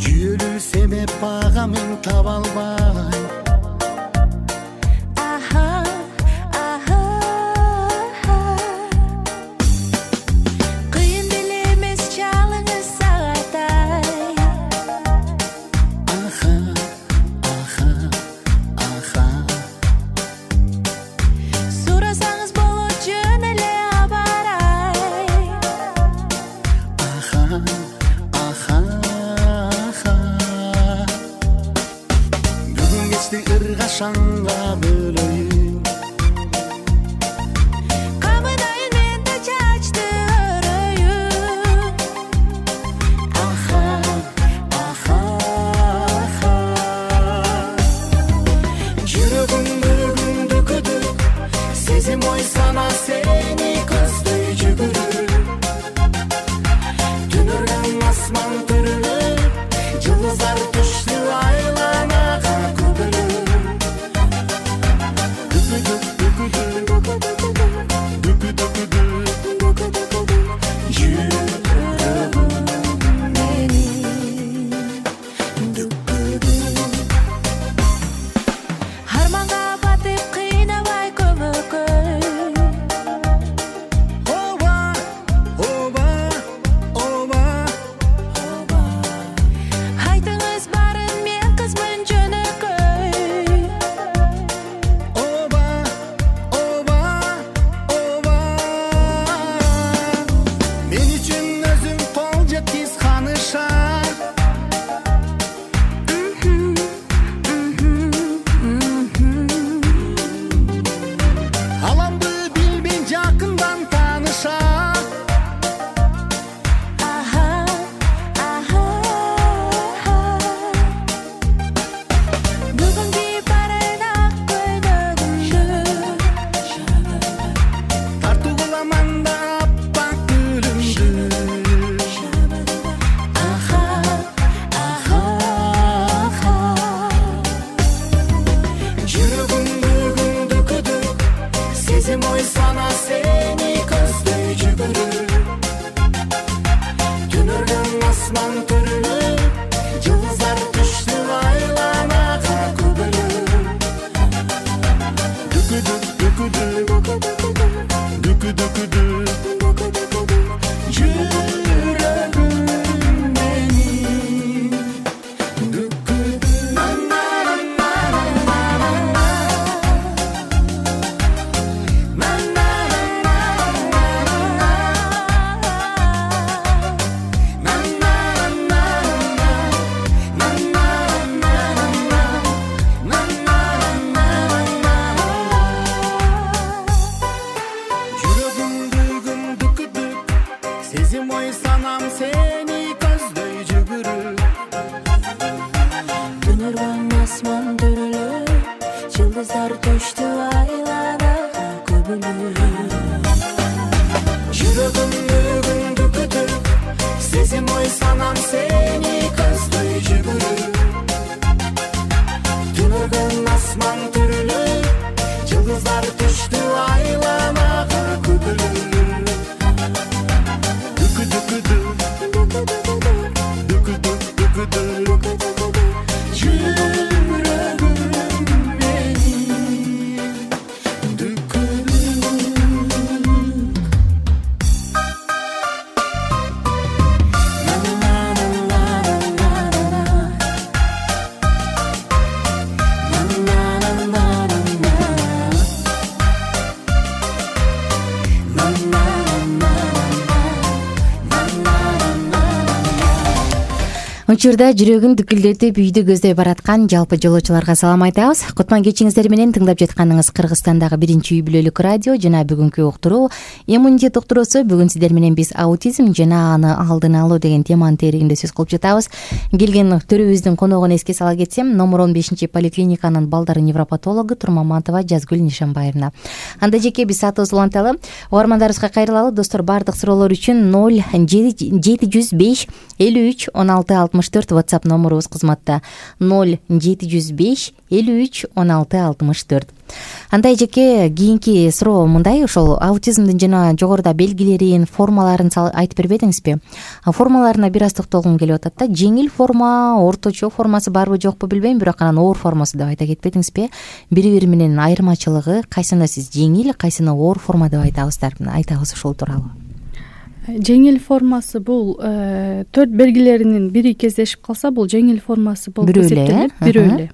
жүйөлүү себеп ага мен таба албай, аха аха кыйын деле эмес чалыңыз сагатай, аха аха аха сурасаңыз болот жөн эле абарай, аха аха аха бүгүн кечти ыргашанга бөлөйүн, камынайын мен да чачты өрөйүн, аха аха аха жүрөгүмдү күндү күтүп сезим ой сана сени көздөй жүгүрүп, түнөргөн асман түрүлүп, жылдыздар түштү айланага көбөлүп, арманга батып кыйнабай көмөкөй, оба оба оба оба айтыңыз барын мен кызмын жөнөкөй, оба оба оба мен үчүн өзүң кол жеткиз ханыша, аламды билбей жакындан тааныша, аха аха бүгүнкү барын ак көйнөгүмдү тартуу кыламан да аппак гүлүмдү, аха аха аха жүрөгүмдү күндү күтүп сезим ой сана сени көздөй жүгүрүп, түнөргөн асман түрүлүп, жылдыздар түштү айланага көбөлүп, дүкүдүк дүкүдүк дүкүдүкүдү жүрөгүм менин, дүкүдүк на на түштү айланага көбүлүп. Жүрөгүмдү күтүп, сезим ой санам сени көздөй жүгүрүп. Түнөгөн асман түрүлүп, жылдыздар түштү айланага көбүлүп. Дүкү дүкү дүк, дүкү дүк, дүкү дүк, жүрөгүм менин дүкү Учурда жүрөгүн дүкүлдөтүп үйдү көздөй бараткан жалпы жолоочуларга салам айтабыз. Кутман кечиңиздер менен тыңдап жатканыңыз Кыргызстандагы биринчи үй бүлөлүк радио жана бүгүнкү уктуруу иммунитет уктуруусу. Бүгүн сиздер менен биз аутизм жана аны алдын алуу деген теманын тегерегинде сөз кылып жатабыз. Келген төрүбүздүн коногун эске сала кетсем, номер он бешинчи поликлиниканын балдар невропатологу Турмаматова Жазгүл Нишанбаевна. Анда жеке биз саатыбызды уланталы. Угармандарыбызга кайрылалы. Достор, баардык суроолор үчүн ноль жети жүз беш элүү үч он алты алтымыш төрт WhatsApp номерубуз кызматта. ноль жети жүз беш элүү үч он алты алтымыш төрт. Андай жеке кийинки суроо мындай, ошол аутизмдин жана жогоруда белгилерин, формаларын айтып бербедиңизби? Формаларына бир аз токтолгум келип атат да. Жеңил форма, орточо формасы барбы жокпу билбейм, бирок анан оор формасы деп айта кетпедиңизби? Бири-бири менен айырмачылыгы, кайсыны сиз жеңил, кайсыны оор форма деп айтабыздар? Айтабыз ушул тууралуу. Жеңил формасы бул төрт белгилеринин бири кездешип калса, бул жеңил формасы болуп эсептелет, бирөө эле.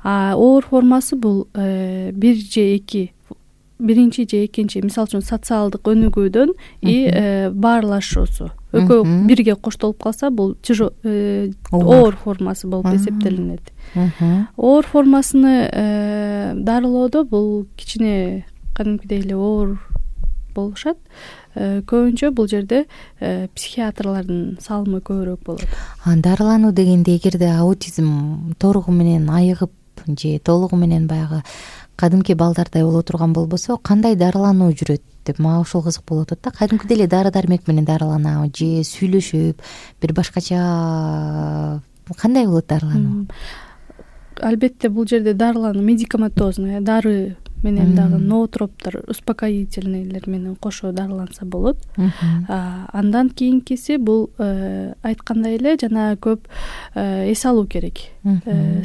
А оор формасы бул бир же эки, биринчи же экинчи, мисалы үчүн социалдык өнүгүүдөн и баарлашуусу экөө бирге коштолуп калса, бул оор формасы болуп эсептелинет. Оор формасыны дарылоодо бул кичине кадимкидей эле оор болушат. Көбүнчө бул жерде психиатрлардын салымы көбүрөөк болот. Дарылануу дегенде, эгерде аутизм толугу менен айыгып же толугу менен баягы кадимки балдардай боло турган болбосо, кандай дарылануу жүрөт деп мага ушул кызык болуп атат да. Кадимкидей эле дары дармек менен дарыланабы же сүйлөшүп бир башкача кандай болот дарылануу? Албетте бул жерде дарылануу медикаментозный, дары менен дагы ноотроптор, успокоительныйлер менен кошо дарыланса болот. Андан кийинкиси бул айткандай эле жана көп эс алуу керек.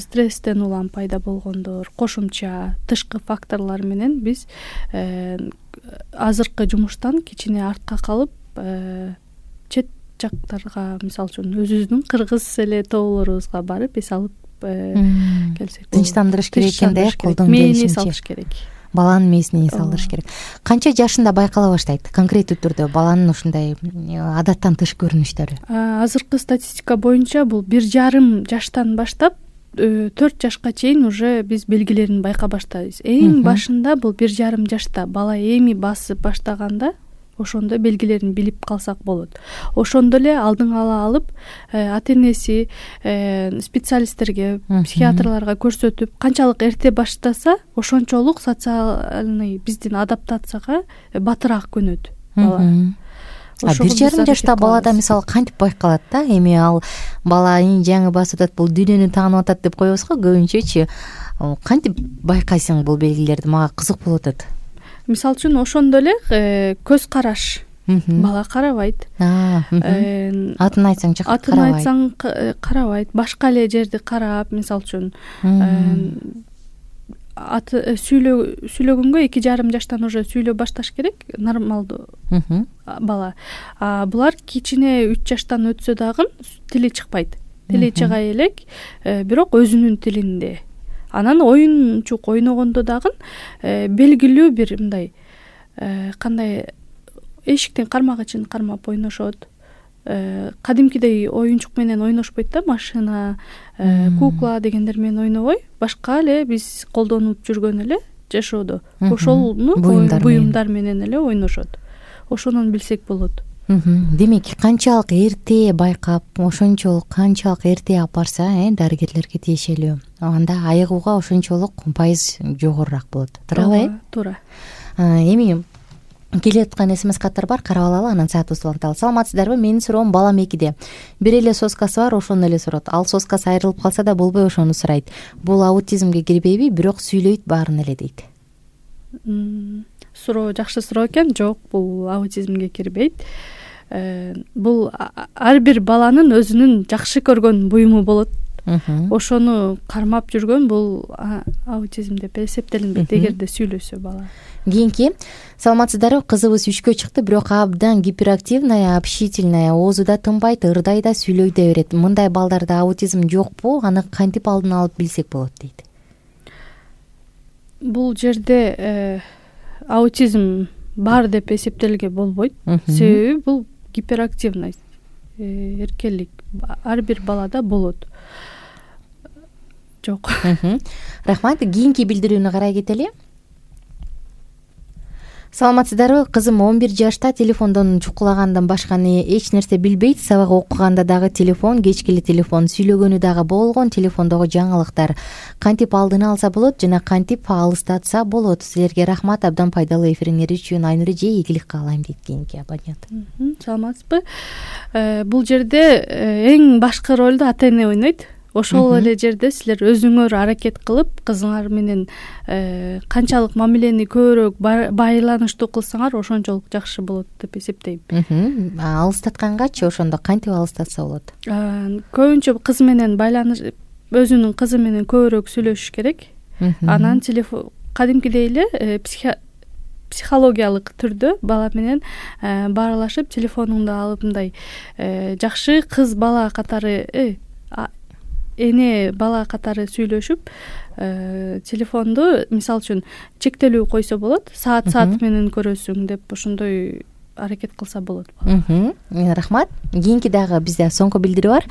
Стресстен улам пайда болгондор, кошумча тышкы факторлор менен биз азыркы жумуштан кичине артка калып, чет жактарга, мисалы үчүн өзүбүздүн кыргыз эле тоолорубузга барып эс алып келсек, тынчтандырыш керек экен да, колдон келишинче салыш керек. Баланын мээсине салдырыш керек. Канча жашында байкала баштайт конкреттүү түрдө баланын ушундай адаттан тыш көрүнүштөрү? Азыркы статистика боюнча бул бир жарым жаштан баштап төрт жашка чейин уже биз белгилерин байкай баштайбыз. Эң башында бул бир жарым жашта бала эми басып баштаганда ошондо белгилерин билип калсак болот. Ошондо эле алдын ала алып, ата-энеси специалисттерге, психиатрларга көрсөтүп, канчалык эрте баштаса, ошончолук социальный биздин адаптацияга батыраак көнөт бала. Бир жарым жашта балада мисалы кантип байкалат да? Эми ал бала жаңы басып атат, бул дүйнөнү таанып атат деп коебуз го көбүнчөчү. Кантип байкайсың бул белгилерди? Мага кызык болуп атат. Мисалы үчүн ошондо эле көз караш. Бала карабайт. Атын айтсаң жакшы карабайт. Атын айтсаң карабайт. Башка эле жерди карап, мисалы үчүн аты сүйлөгөнгө эки жарым жаштан уже сүйлөп башташ керек, нормалдуу бала. Булар кичине үч жаштан өтсө дагы тили чыкпайт. Тили чыга элек, бирок өзүнүн тилинде. Анан оюнчук ойногондо дагы белгилүү бир мындай кандай эшиктин кармагычын кармап ойношот. Кадимкидей оюнчук менен ойношпойт да, машина, кукла дегендер менен ойнобой, башка эле биз колдонуп жүргөн эле жашоодо ошолну буюмдар менен эле ойношот. Ошонун билсек болот. демек канчалык эрте байкап, ошончолук канчалык эрте алып барса дарыгерлерге тиешелүү, анда айыгууга ошончолук пайыз жогорураак болот. Туурабы э? Туура. Эми келип аткан смс каттар бар, карап алалы, анан саатыбызды уланталы. Саламатсыздарбы? Менин суроом, балам экиде. Бир эле соскасы бар, ошону эле сурат. Ал соскасы айрылып калса да болбой ошону сурайт. Бул аутизмге кирбейби? Бирок сүйлөйт баарын эле дейт. Суроо жакшы суроо экен. Жок, бул аутизмге кирбейт. Бул ар бир баланын өзүнүн жакшы көргөн буюму болот. Ошону кармап жүргөн бул аутизм деп эсептелинбейт, эгерде сүйлөсө бала. Кийинки, саламатсыздарбы? Кызыбыз үчкө чыкты, бирок абдан гиперактивная, общительная, оозу да тынбайт, ырдай да, сүйлөй да берет. Мындай балдарда аутизм жокпу? Аны кантип алдын алып билсек болот дейт. Бул жерде аутизм бар деп эсептелге болбойт. Себеби бул гиперактивность, эркелик ар бир балада болот. Жок. Рахмат. Кийинки билдирүүнү карай кетели. Саламатсыздарбы? Кызым он бир жашта, телефондон чукулагандан башканы эч нерсе билбейт. Сабак окуганда дагы телефон, кечкили телефон, сүйлөгөнү дагы болгон, телефондогу жаңылыктар. Кантип алдын алса болот жана кантип алыстатса болот? Силерге рахмат, абдан пайдалуу эфириңер үчүн. Айнура эже, ийгилик каалайм дейт кийинки абонент. Саламатсызбы? Бул жерде эң башкы ролду ата-эне ойнойт. Ошол эле жерде силер өзүңөр аракет кылып, кызыңар менен канчалык мамилени көбүрөөк байланыштуу кылсаңар, ошончолук жакшы болот деп эсептейм. Алыстаткангачы ошондо кантип алыстатса болот? Көбүнчө кыз менен байланыш, өзүнүн кызы менен көбүрөөк сүйлөшүш керек. Анан телефон кадимкидей эле психологиялык түрдө бала менен баарлашып, телефонуңду алып мындай жакшы кыз бала катары, эне бала катары сүйлөшүп, телефонду мисалы үчүн чектелүү койсо болот, саат саат менен көрөсүң деп ошондой аракет кылса болот. Рахмат. Кийинки дагы бизде соңку билдирүү бар.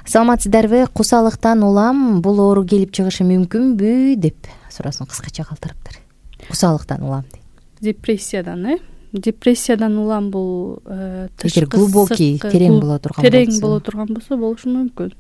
Саламатсыздарбы? Кусалыктан улам, бул оору келип чыгышы мүмкүнбү деп суроосун кыскача калтырыптыр. Кусалыктан улам дейт. Депрессиядан, э? Депрессиядан улам бул эгер глубокий, терең боло турган болсо, терең боло турган болсо болушу мүмкүн.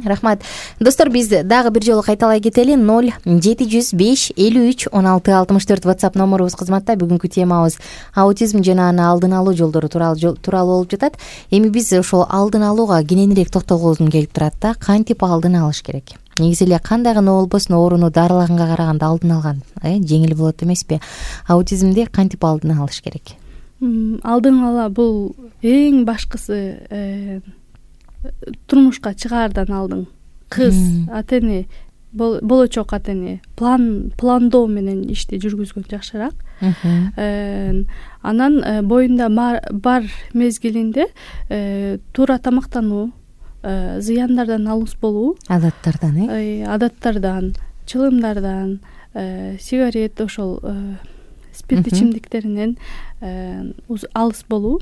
Рахмат. Достор, биз дагы бир жолу кайталай кетели. ноль жети жүз беш элүү үч он алты алтымыш төрт WhatsApp номерубуз кызматта. Бүгүнкү темабыз аутизм жана аны алдын алуу жолдору тууралуу болуп жатат. Эми биз ошол алдын алууга кененирээк токтолгузум келип турат да. Кантип алдын алыш керек? Негизи эле кандай гана болбосун, ооруну дарылаганга караганда алдын алган жеңил болот эмеспи? Аутизмди кантип алдын алыш керек? Алдын ала бул эң башкысы турмушка чыгаардан алдын кыз ата-эне, болочок ата-эне план пландоо менен ишти жүргүзгөн жакшыраак. Анан боюнда бар мезгилинде туура тамактануу, зыяндардан алыс болуу, адаттардан, э? Адаттардан, чылымдардан, сигарет, ошол спирт ичимдиктеринен алыс болуу.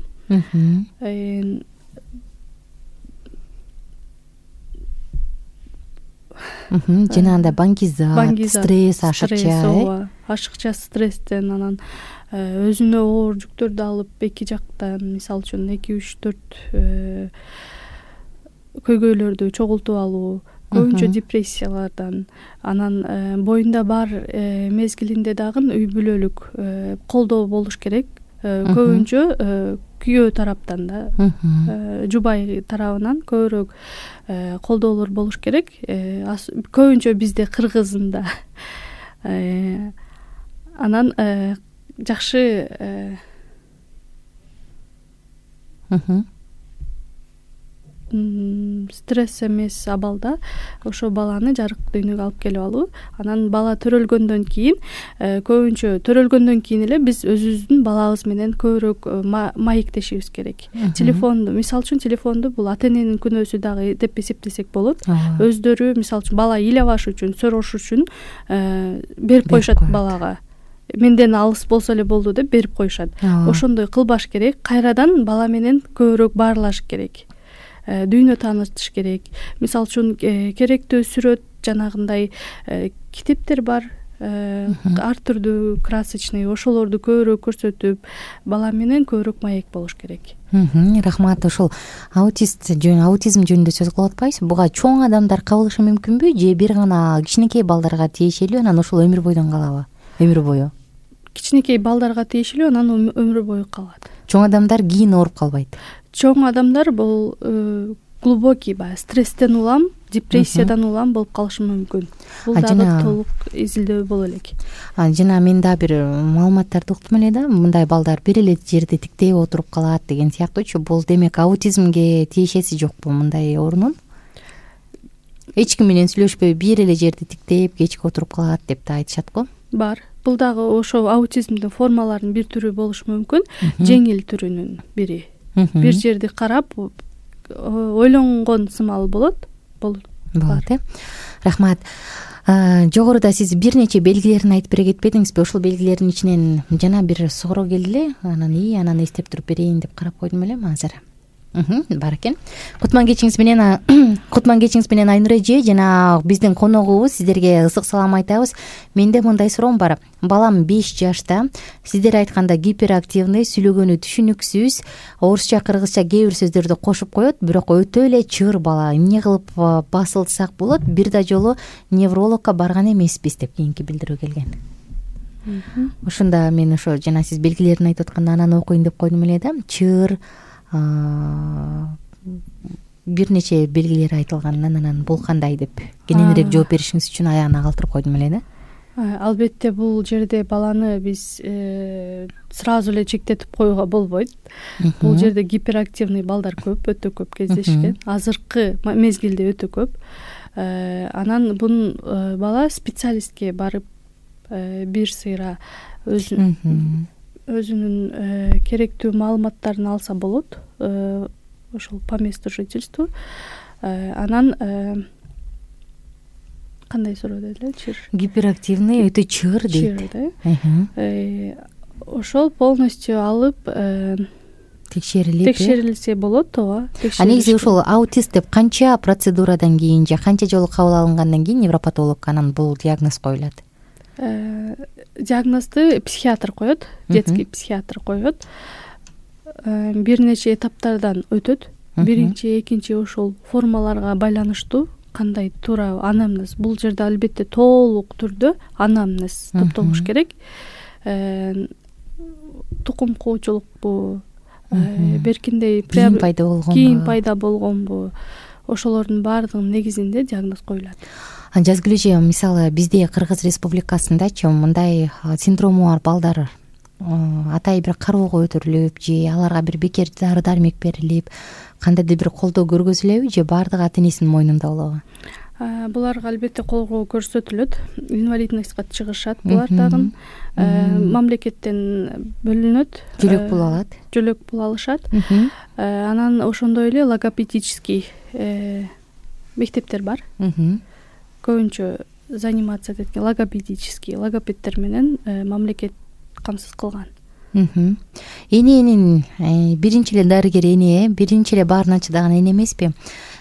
Жана анда баңгизат, стресс, ашыкча, ашыкча стресстен, анан өзүнө оор жүктөрдү алып эки жактан, мисалы үчүн эки үч төрт көйгөйлөрдү чогултуп алуу, көбүнчө депрессиялардан, анан боюнда бар мезгилинде дагы үй бүлөлүк колдоо болуш керек. Көбүнчө күйөө тараптан да, жубай тарабынан көбүрөөк колдоолор болуш керек. Көбүнчө бизде кыргызында. Анан жакшы стресс эмес абалда ошо баланы жарык дүйнөгө алып келип алуу. Анан бала төрөлгөндөн кийин, көбүнчө төрөлгөндөн кийин эле биз өзүбүздүн балабыз менен көбүрөөк маектешибиз керек. Телефонду, мисалы үчүн телефонду бул ата-эненин күнөөсү дагы деп эсептесек болот. Өздөрү, мисалы үчүн бала ыйлабаш үчүн, сорош үчүн берип коюшат балага. Менден алыс болсо эле болду деп берип коюшат. Ошондой кылбаш керек. Кайрадан бала менен көбүрөөк баарлаш керек. Дүйнө таанытыш керек. Мисалы үчүн керектүү сүрөт, жанагындай китептер бар, ар түрдүү красочный ошолорду көбүрөөк көрсөтүп бала менен көбүрөөк маек болуш керек. Рахмат. Ошол аутист жөн аутизм жөнүндө сөз кылып атпайбызбы? Буга чоң адамдар кабылышы мүмкүнбү же бир гана кичинекей балдарга тиешелүү, анан ошол өмүр бойдон калабы? Өмүр бою Кичинекей балдарга тиешелүү, анан өмүр бою калат. Чоң адамдар кийин ооруп калбайт? Чоң адамдар бул глубокий баягы стресстен улам, депрессиядан улам болуп калышы мүмкүн. Бул дагы толук изилдөө боло элек. Жана мен дагы бир маалыматтарды уктум эле да, мындай балдар бир эле жерде тиктей отуруп калат деген сыяктуучу. Бул демек аутизмге тиешеси жокпу мындай оорунун? Эч ким менен сүйлөшпөй бир эле жерде тиктеп кечке отуруп калат деп да айтышат го. Бар. Бул дагы ошо аутизмдин формаларынын бир түрү болушу мүмкүн, жеңил түрүнүн бири. Бир жерди карап ойлонгон сымал болот. Болот э. Рахмат. Жогоруда сиз бир нече белгилерин айтып бере кетпедиңизби? Ошол белгилердин ичинен жана бир суроо келди эле. Анан ии анан эстеп туруп берейин деп карап койдум эле азыр. Бар экен. Кутман кечиңиз менен Кутман кечиңиз менен Айнура эже жана биздин коногубуз, сиздерге ысык салам айтабыз. Менде мындай суроом бар. Балам беш жашта. Сиздер айтканда гиперактивный, сүйлөгөнү түшүнүксүз, орусча, кыргызча кээ бир сөздөрдү кошуп коет, бирок өтө эле чыр бала. Эмне кылып басылсак болот? Бир да жолу неврологко барган эмеспиз деп кийинки билдирүү келген. Ошондо мен ошо жана сиз белгилерин айтып атканда анан окуйн деп койдум эле да. Чыр бир нече белгилери айтылганынан анан бул кандай деп кененирээк жооп беришиңиз үчүн аягына калтырып койдум эле да. Албетте бул жерде баланы биз сразу эле чектетип коюуга болбойт. Бул жерде гиперактивный балдар көп, өтө көп кездешкен. Азыркы мезгилде өтө көп. Анан бул бала специалистке барып бир сыйра өзүнүн өзүнүн керектүү маалыматтарын алса болот. Ошол по месту жительства. Анан кандай суроо дедилер? Чыр. Гиперактивный, өтө чыр дейт. Ошол полностью алып текшерилип текшерилсе болот, ооба. А негизи ошол аутист деп канча процедурадан кийин же канча жолу кабыл алынгандан кийин невропатологко анан бул диагноз коюлат? Диагнозду психиатр коет, детский психиатр коет. Бир нече этаптардан өтөт. Биринчи, экинчи ошол формаларга байланыштуу кандай туура анамнез. Бул жерде албетте толук түрдө анамнез топтолуш керек. Тукум куучулукпу, беркиндей кийин пайда болгонбу? Кийин пайда болгонбу? Ошолордун баардыгынын негизинде диагноз коюлат. Жазгүл эже, мисалы бизде Кыргыз Республикасындачы мындай синдрому бар балдар атай бир кароого өтөрүлүп же аларга бир бекер дары дармек берилип кандайдыр бир колдоо көргөзүлөбү же баардыгы ата энесинин мойнунда болобу? Буларга албетте колдоо көрсөтүлөт, инвалидностька чыгышат булар дагы. Мамлекеттен бөлүнөт, жөлөк пул алат. Жөлөк пул алышат. Анан ошондой эле логопедический мектептер бар. Көбүнчө заниматься эткен логопедический логопедтер менен мамлекет камсыз кылган. Эненин биринчи эле дарыгер эне, биринчи эле баарын чыдаган эне эмеспи?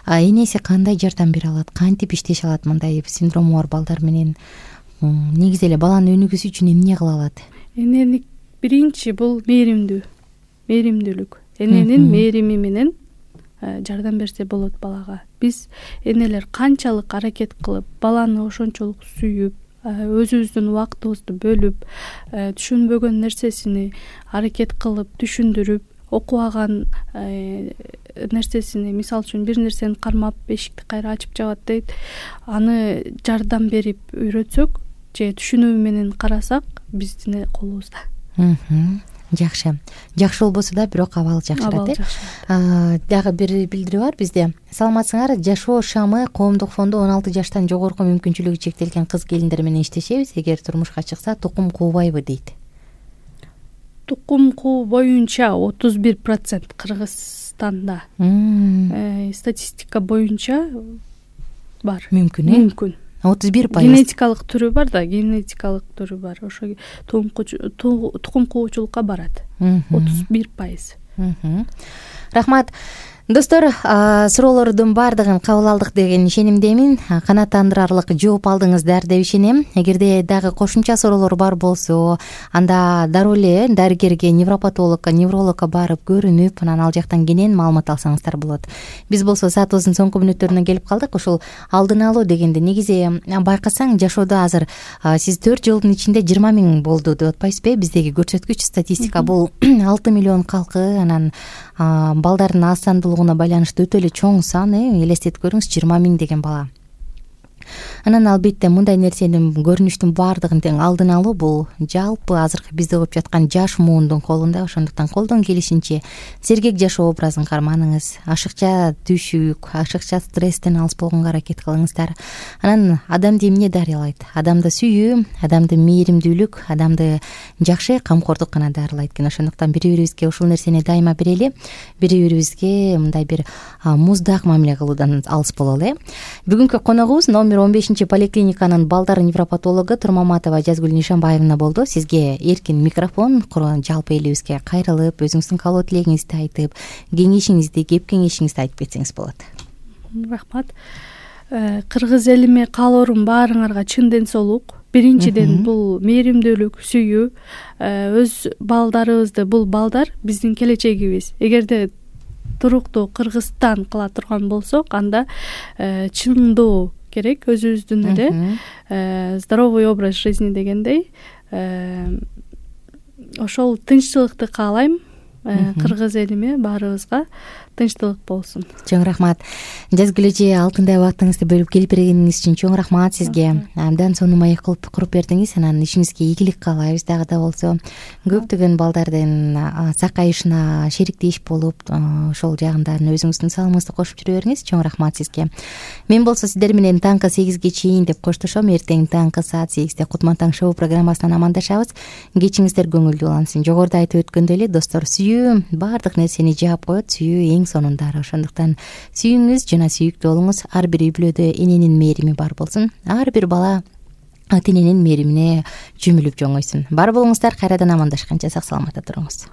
Энеси кандай жардам бере алат, кантип иштеше алат мындай синдрому бар балдар менен? Негизи эле баланын өнүгүүсү үчүн эмне кыла алат? Энени биринчи бул мээримдүү, мээримдүүлүк. Эненин мээрими менен жардам берсе болот балага. Биз энелер канчалык аракет кылып, баланы ошончолук сүйүп, өзүбүздүн убактыбызды бөлүп, түшүнбөгөн нерсесини аракет кылып түшүндүрүп, окубаган нерсесини, мисалы үчүн бир нерсени кармап, эшикти кайра ачып жабат дейт, аны жардам берип үйрөтсөк же түшүнүү менен карасак, биздин колубузда. Жакшы. Жакшы болбосо да, бирок абал жакшырат э. Дагы бир билдирүү бар бизде. Саламатсыңар, Жашоо шамы коомдук фонду он алты жаштан жогорку мүмкүнчүлүгү чектелген кыз келиндер менен иштешебиз. Эгер турмушка чыкса, тукум куубайбы дейт. Тукум куу боюнча отуз бир процент Кыргызстанда. Статистика боюнча бар. Мүмкүн э? Мүмкүн. отуз бир пайыз. Генетикалык түрү бар да, генетикалык түрү бар. Ошо тукум куучулукка барат. отуз бир пайыз. Рахмат. достор, суроолордун баардыгын кабыл алдык деген ишенимдемин. Канааттандырарлык жооп алдыңыздар деп ишенем. Эгерде дагы кошумча суроолор бар болсо, анда дароо эле дарыгерге, невропатологко, неврологко барып көрүнүп, анан ал жактан кенен маалымат алсаңыздар болот. Биз болсо саатыбыздын соңку мүнөттөрүнө келип калдык. Ушул алдын алуу дегенде негизи байкасаң жашоодо азыр сиз төрт жылдын ичинде жыйырма миң болду деп атпайсызбы? Биздеги көрсөткүч статистика бул алты миллион калкы, анан балдардын аз сандуулугуна байланыштуу өтө эле чоң сан. Элестетип көрүңүз, жыйырма миң деген бала. Анан албетте мындай нерсенин, көрүнүштүн баардыгын тең алдын алуу бул жалпы азыркы бизде болуп жаткан жаш муундун колунда. Ошондуктан колдон келишинче сергек жашоо образын карманыңыз, ашыкча түшүк, ашыкча стресстен алыс болгонго аракет кылыңыздар. Анан адамды эмне дарылайт? Адамды сүйүү, адамды мээримдүүлүк, адамды жакшы камкордук гана дарылайт экен. Ошондуктан бири-бирибизге ушул нерсени дайыма берели, бири-бирибизге мындай бир муздак мамиле кылуудан алыс бололу. Бүгүнкү коногубуз номер он бешинчи поликлиниканын балдар невропатологу Турмаматова Жазгүл Нишанбаевна болду. Сизге эркин микрофон, жалпы элибизге кайрылып, өзүңүздүн каалоо тилегиңизди айтып, кеңешиңизди, кеп кеңешиңизди айтып кетсеңиз болот. Рахмат. Кыргыз элиме каалоорум баарыңарга чын ден соолук. Биринчиден бул мээримдүүлүк, сүйүү. Өз балдарыбызды, бул балдар биздин келечегибиз. Эгерде туруктуу Кыргызстан кыла турган болсок, анда чындоо керек өзүбүздүн эле здоровый образ жизни дегендей. Ошол тынччылыкты каалайм. Кыргыз элиме баарыбызга тынчтылык болсун. Чоң рахмат. Жазгүл эже, алтындай убактыңызды бөлүп келип бергениңиз үчүн чоң рахмат сизге. Абдан сонун маек кылып куруп бердиңиз. Анан ишиңизге ийгилик каалайбыз дагы да болсо. Көптөгөн балдардын сакайышына шериктеш болуп, ошол жагынан өзүңүздүн салымыңызды кошуп жүрө бериңиз. Чоң рахмат сизге. Мен болсо сиздер менен таңкы сегизге чейин деп коштошом. Эртең таңкы саат сегизде Кутман таң шоу программасынан амандашабыз. Кечиңиздер көңүлдүү улансын. Жогоруда айтып өткөндөй эле, достор, сүйүү баардык нерсени жаап коет. Сүйүү эң сонундары. Ошондуктан сүйүңүз жана сүйүктүү болуңуз. Ар бир үй бүлөдө эненин мээрими бар болсун. Ар бир бала ата эненин мээримине жөмүлүп жоңойсун. Бар болуңуздар, кайрадан амандашканча сак саламатта туруңуз.